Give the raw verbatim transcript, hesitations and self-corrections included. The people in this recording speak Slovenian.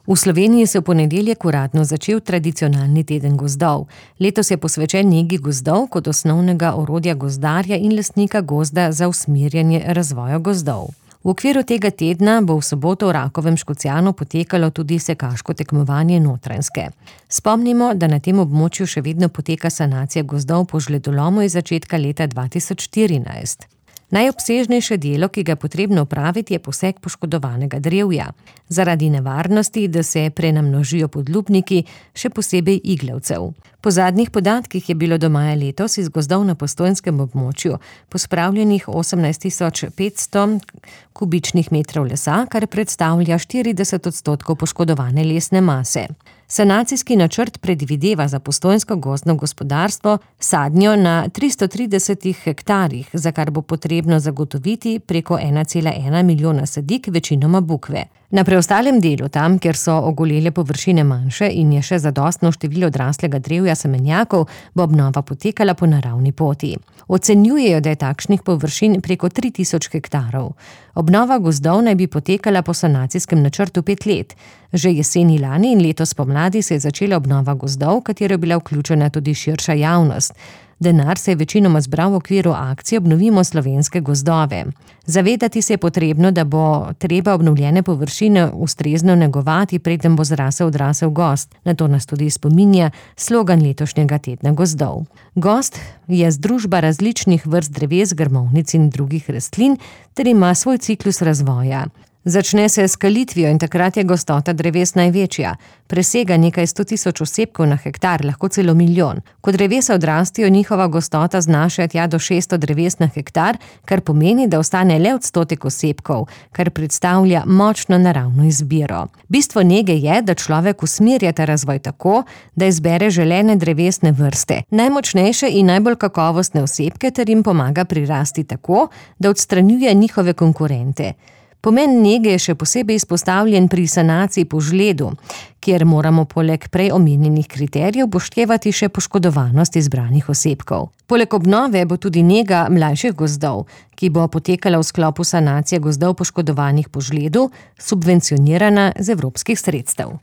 V Sloveniji se v ponedeljek uradno začel tradicionalni teden gozdov. Letos je posvečen negi gozdov kot osnovnega orodja gozdarja in lastnika gozda za usmerjanje razvoja gozdov. V okviru tega tedna bo v soboto v Rakovem Škocjanu potekalo tudi sekaško tekmovanje Notranjske. Spomnimo, da na tem območju še vedno poteka sanacija gozdov po žledolomu iz začetka leta dva tisoč štirinajst. Najobsežnejše delo, ki ga je potrebno opraviti, je posek poškodovanega drevja. Zaradi nevarnosti, da se prenamnožijo podlubniki, še posebej iglavcev. Po zadnjih podatkih je bilo do maja letos iz gozdov na postojnskem območju pospravljenih osemnajst tisoč petsto kubičnih metrov lesa, kar predstavlja štirideset odstotkov poškodovane lesne mase. Sanacijski načrt predvideva za postojnsko gozdno gospodarstvo sadnjo na tristo tridesetih hektarjih, za kar bo potrebno zagotoviti preko ena cela ena milijona sadik, večinoma bukve. Na preostalem delu, tam, kjer so ogolele površine manjše in je še zadostno število odraslega drevja semenjakov, bo obnova potekala po naravni poti. Ocenjujejo, da je takšnih površin preko tri tisoč hektarov. Obnova gozdov naj bi potekala po sanacijskem načrtu pet let. Že jeseni lani in letos pomladi se je začela obnova gozdov, v katero je bila vključena tudi širša javnost. Denar se je večinoma zbral v okviru akcije Obnovimo slovenske gozdove. Zavedati se je potrebno, da bo treba obnovljene površine ustrezno negovati, preden bo zrasel odrasel gozd. Na to nas tudi spominja slogan letošnjega tedna gozdov. Gozd je združba različnih vrst dreves, grmovnic in drugih rastlin ter ima svoj ciklus razvoja. Začne se s skalitvijo in takrat je gostota dreves največja. Presega nekaj sto tisoč osebkov na hektar, lahko celo milijon. Ko drevesa odrastijo, njihova gostota znaša tja do šeststo dreves na hektar, kar pomeni, da ostane le odstotek osebkov, kar predstavlja močno naravno izbiro. Bistvo nege je, da človek usmerja ta razvoj tako, da izbere želene drevesne vrste, najmočnejše in najbolj kakovostne osebke ter jim pomaga prirasti tako, da odstranjuje njihove konkurente. Pomen nege je še posebej izpostavljen pri sanaciji po žledu, kjer moramo poleg prej omenjenih kriterijev upoštevati še poškodovanost izbranih osebkov. Poleg obnove bo tudi nega mlajših gozdov, ki bo potekala v sklopu sanacije gozdov poškodovanih po žledu, subvencionirana z evropskih sredstev.